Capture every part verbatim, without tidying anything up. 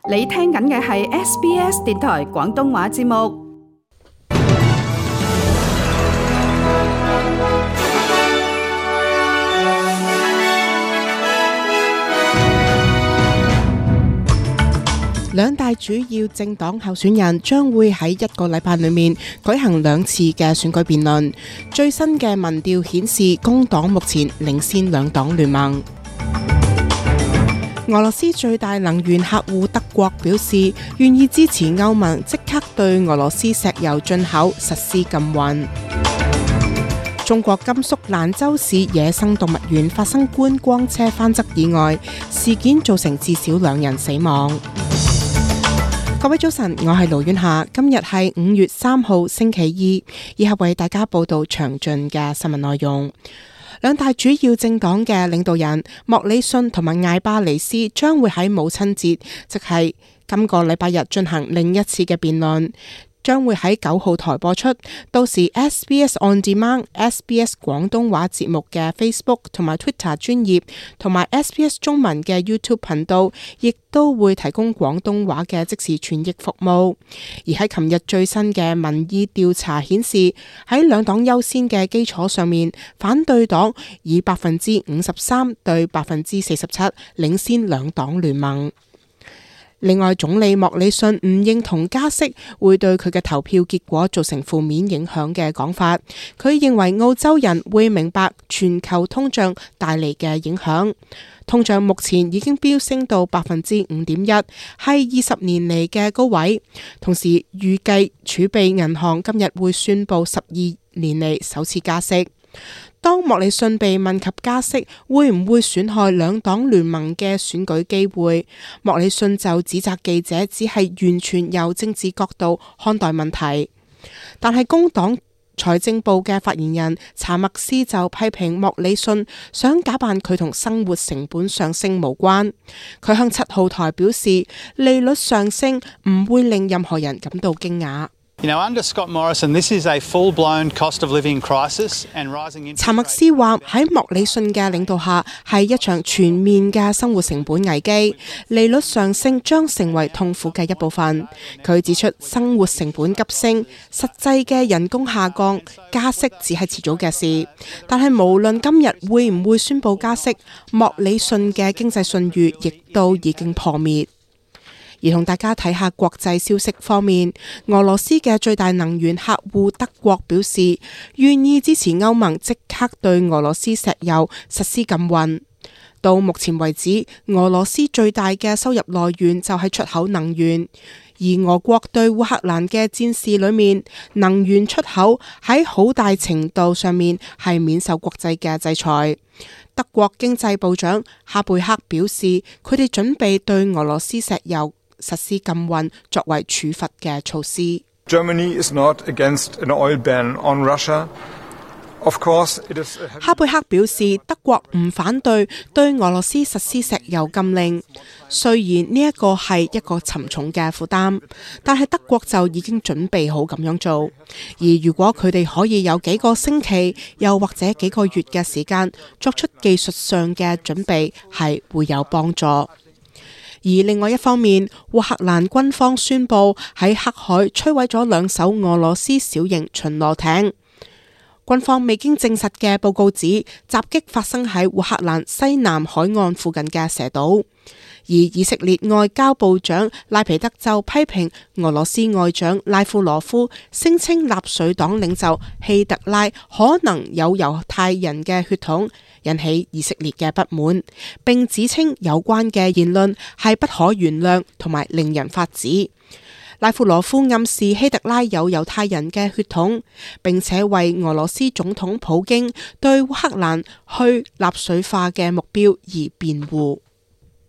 你聽緊嘅係 S B S 電台廣東話節目。兩大主要政黨候選人將會喺一個禮拜裏面舉行兩次嘅選舉辯論。最新嘅民調顯示，工黨目前領先兩黨聯盟。俄羅斯最大能源客戶德國表示，願意支持歐盟即刻對俄羅斯石油進口實施禁運。中國甘肅蘭州市野生動物園發生觀光車翻側意外，事件造成至少兩人死亡。各位早晨，我係盧婉霞，今日係五月三號星期二，以下為大家報道詳盡嘅新聞內容。兩大主要政黨嘅領導人莫里遜同埋艾巴尼斯將會喺母親節，即係今個禮拜日進行另一次嘅辯論，將會喺九號台播出。到時 S B S On Demand、S B S 廣東話節目嘅 Facebook 同埋 Twitter 專頁，同埋 S B S 中文嘅 YouTube 頻道，亦都會提供廣東話嘅即時傳譯服務。而喺琴日最新嘅民意調查顯示，喺兩黨優先嘅基礎上面，反對黨以百分之五十三對百分之四十七領先兩黨聯盟。另外，總理莫里遜唔認同加息會對佢嘅投票結果造成負面影響嘅講法。佢認為澳洲人會明白全球通脹帶嚟嘅影響。通脹目前已經飆升到百分之五點一，係二十年嚟嘅高位。同時預計儲備銀行今日會宣布十二年嚟首次加息。當莫里遜被問及加息會唔會損害兩黨聯盟嘅選舉機會，莫里遜就指責記者只係完全由政治角度看待問題。但係工黨財政部嘅發言人查默斯就批評莫里遜想假扮佢同生活成本上升無關。佢向七號台表示，利率上升唔會令任何人感到驚訝。You know, under Scott Morrison, this is a full-blown cost of living crisis and rising interest rates. 查默斯話喺莫里遜嘅領導下係一場全面嘅生活成本危機，利率上升將成為痛苦嘅一部分。佢指出生活成本急升，實際嘅人工下降，加息只係遲早嘅事。但係無論今日會唔會宣布加息，莫里遜嘅經濟信譽亦都已經破滅。而同大家睇下國際消息方面，俄羅斯嘅最大能源客戶德國表示，願意支持歐盟即刻對俄羅斯石油實施禁運。到目前為止，俄羅斯最大嘅收入來源就係出口能源，而俄國對烏克蘭嘅戰事裏面，能源出口喺好大程度上面係免受國際嘅制裁。德國經濟部長哈貝克表示，佢哋準備對俄羅斯石油實施禁運作為處罰嘅措施。Germany is not against an oil ban on Russia. Of course, it is. 哈貝克表示，德國唔反對對俄羅斯實施石油禁令，雖然呢一個係一個沉重嘅負擔，但係德國就已經準備好咁樣做。而如果佢哋可以有幾個星期，又或者幾個月嘅時間作出技術上嘅準備，係會有幫助。而另外一方面，烏克蘭軍方宣布喺黑海摧毀咗兩艘俄羅斯小型巡邏艇。軍方未經證實嘅報告指，襲擊發生喺烏克蘭西南海岸附近嘅蛇島。而以色列外交部長拉皮德就批評俄羅斯外長拉夫羅夫聲稱納粹黨領袖希特拉可能有猶太人嘅血統，引起以色列嘅不滿，並指稱有關嘅言論係不可原諒同埋令人髮指。拉夫羅夫暗示希特拉有猶太人嘅血統，並且為俄羅斯總統普京對烏克蘭去納粹化嘅目標而辯護。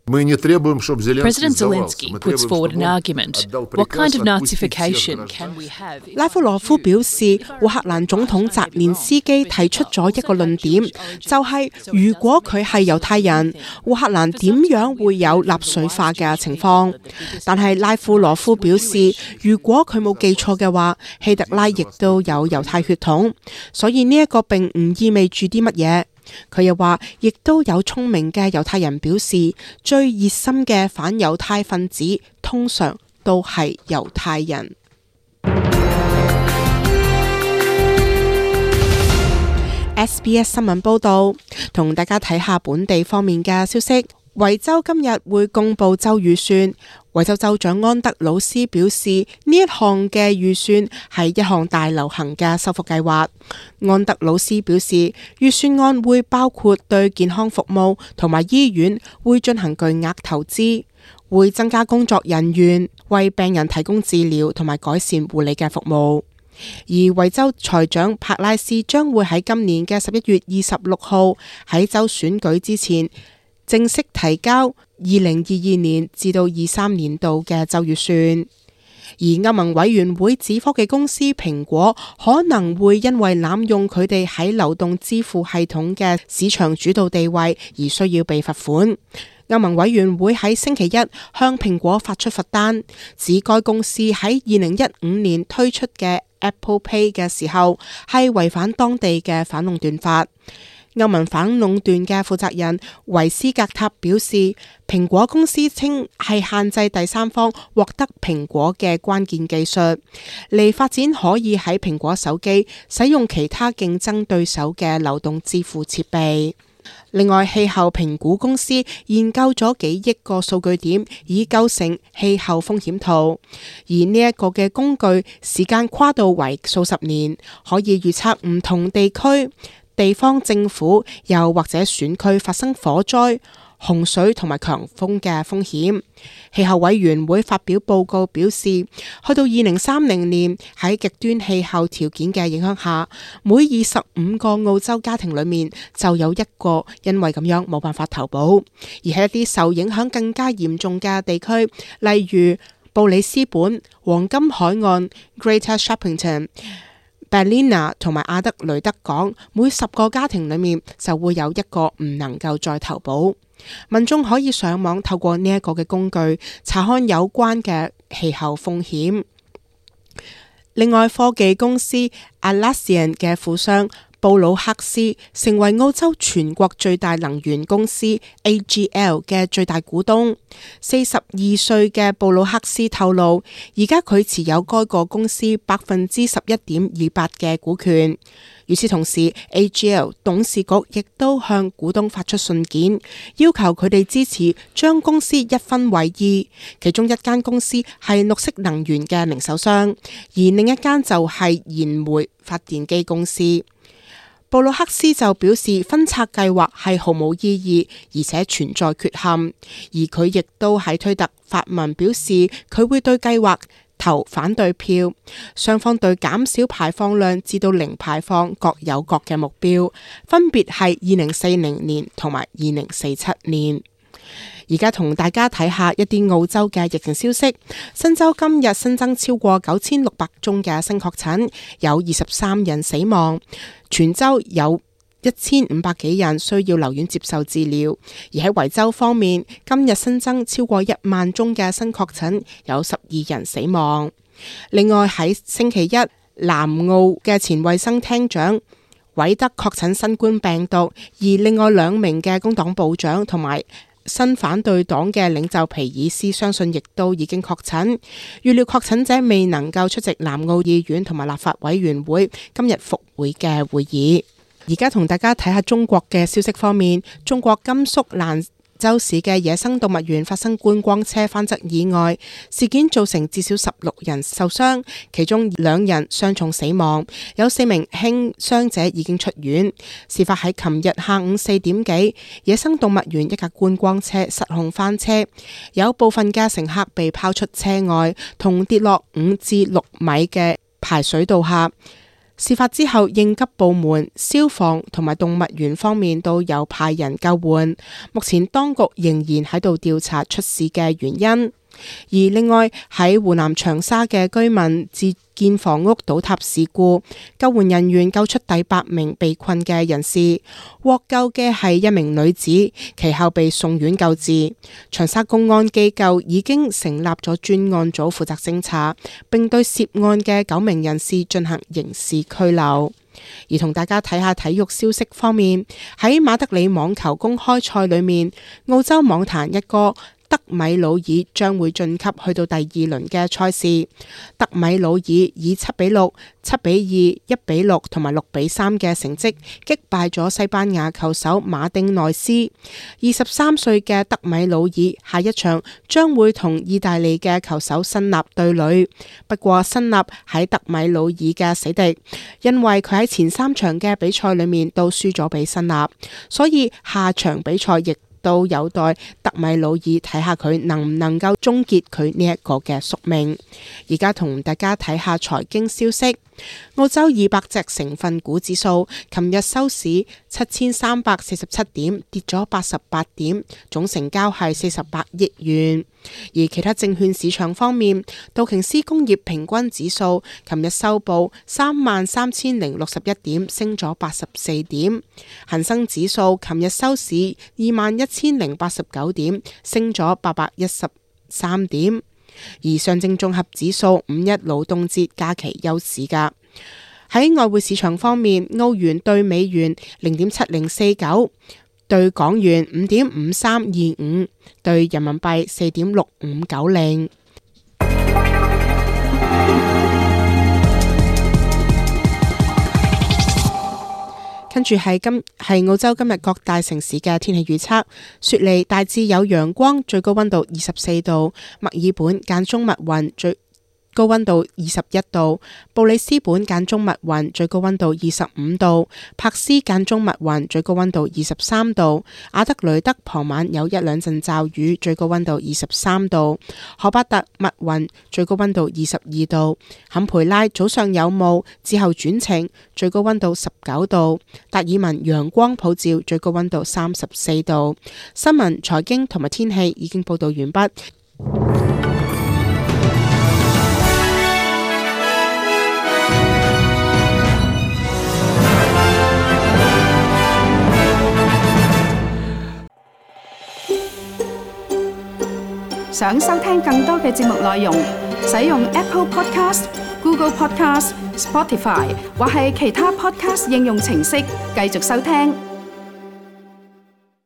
President Zelensky puts forward an argument. What kind of Nazification can we have? 拉夫羅夫表示，烏克蘭總統澤連斯基提出咗一個論點，就係、是、如果佢係猶太人，烏克蘭點樣會有納粹化嘅情況？但係拉夫羅夫表示，如果佢冇記錯嘅話，希特拉亦都有猶太血統，所以呢一個並唔意味住啲乜嘢。佢又話，亦都有聰明嘅猶太人表示，最熱心嘅反猶太分子通常都係猶太人。S B S 新聞報導，同大家睇下本地方面嘅消息。維州今日會公布州預算。維州州長安德魯斯表示，呢一項嘅預算係一項大流行嘅修復計劃。安德魯斯表示，預算案會包括對健康服務同埋醫院會進行巨額投資，會增加工作人員，為病人提供治療同埋改善護理嘅服務。而維州財長帕拉斯將會喺今年嘅十一月二十六號喺州選舉之前正式提交二零二二年至到二三年度嘅州預算。而歐盟委員會指科技公司蘋果可能會因為濫用佢哋喺流動支付系統嘅市場主導地位而需要被罰款。歐盟委員會喺星期一向蘋果發出罰單，指該公司喺二零一五年推出嘅 Apple Pay 嘅時候係違反當地嘅反壟斷法。歐盟反壟斷嘅負責人維斯格塔表示，蘋果公司稱係限制第三方獲得蘋果嘅關鍵技術，嚟發展可以喺蘋果手機使用其他競爭對手嘅流動支付設備。另外，氣候評估公司研究咗幾億個數據點，以構成氣候風險圖。而呢一個嘅工具時間跨度為數十年，可以預測唔同地區、地方政府又或者選區發生火災、洪水同埋強風嘅風險。氣候委員會發表報告表示，去到二零三零年，喺極端氣候條件嘅影響下，每二十五個澳洲家庭裏面就有一個因為咁樣冇辦法投保。而喺一啲受影響更加嚴重嘅地區，例如布里斯本、黃金海岸、Greater Shoppington、Ballina 同埋阿德雷德港，每十個家庭裏面就會有一個唔能夠再投保。民眾可以上網透過呢一個嘅工具查看有關嘅氣候風險。另外，科技公司 Atlassian 嘅富商布魯克斯成為澳洲全國最大能源公司 A G L 嘅最大股東。四十二歲嘅布魯克斯透露，而家佢持有該個公司百分之十一點二八嘅股權。與此同時 ，A G L 董事局亦都向股東發出信件，要求佢哋支持將公司一分為二，其中一間公司係綠色能源嘅零售商，而另一間就係燃煤發電機公司。布魯克斯就表示，分拆計劃係毫無意義，而且存在缺陷。而佢亦都喺推特發文表示，佢會對計劃投反對票。雙方對減少排放量至到零排放各有各嘅目標，分別係二零四零年同埋二零四七年。而家同大家睇下一啲澳洲嘅疫情消息。新州今日新增超過九千六百宗嘅新確診，有二十三人死亡。全州有一千五百幾人需要留院接受治療。而喺維州方面，今日新增超過一萬宗嘅新確診，有十二人死亡。另外喺星期一，南澳嘅前衛生廳長韋德確診新冠病毒，而另外兩名嘅工黨部長同埋新反對黨嘅領袖皮爾斯相信亦都已經確診。預料確診者未能夠出席南澳議院同埋立法委員會今日復會嘅會議。而家同大家睇下中國嘅消息方面，中國甘肅蘭州市嘅野生動物園發生觀光車翻側意外，事件造成至少十六人受傷，其中兩人傷重死亡，有四名輕傷者已經出院。事發喺琴日下午四點幾，野生動物園一架觀光車失控翻車，有部分嘅乘客被拋出車外，同跌落五至六米嘅排水道下。事發之後，應急部門、消防同埋動物園方面都有派人救援。目前當局仍然喺度調查出事嘅原因。而另外喺湖南長沙嘅居民自建房屋倒塌事故，救援人員救出第八名被困嘅人士，獲救嘅係一名女子，其後被送院救治。長沙公安機構已經成立咗專案組負責偵查，並對涉案嘅九名人士進行刑事拘留。而同大家睇下體育消息方面，喺馬德里網球公開賽裏面，澳洲網壇一哥德米魯爾將會晉級去到第二輪嘅賽事。德米魯爾以七比六、七比二、一比六同埋六比三嘅成績擊敗咗西班牙球手馬丁內斯。二十三歲嘅德米魯爾下一場將會同意大利嘅球手辛納對壘。不過辛納喺德米魯爾嘅死敵，因為佢喺前三場嘅比賽裏面都輸咗俾辛納，所以下場比賽亦都有待德米魯爾睇下佢能唔能夠終結佢呢一個嘅宿命。而家同大家睇下財經消息。澳洲二百隻成分股指數琴日收市七千三百四十七點，跌咗八十八點，總成交係四十八億元。而其他證券市場方面，道瓊斯工業平均指數琴日收報三萬三千零六十一點，升咗八十四點。恒生指數琴日收市二萬一千零八十九點，升咗八百一十三點。而上證綜合指數五一勞動節假期休市㗎。喺外匯市場方面，澳元對美元零點七零四九，對港元五點五三二五，對人民幣四點六五九零。跟住係今係澳洲今日各大城市嘅天氣預測。雪梨大致有陽光，最高溫度二十四度；墨爾本間中密雲，最高溫度二十一度；布里斯本間中密雲，最高溫度二十五度；柏斯間中密雲，最高溫度二十三度；阿德雷德傍晚有一兩陣驟雨，最高溫度二十三度；荷巴特密雲，最高溫度二十二度；坎培拉早上有霧，之後轉晴，最高溫度十九度；達爾文陽光普照，最高溫度三十四度。新聞、財經同埋天氣已經報道完畢。想收聽更多嘅節目內容，使用 Apple Podcast、Google Podcast、Spotify 或係其他 Podcast 應用程式繼續收聽。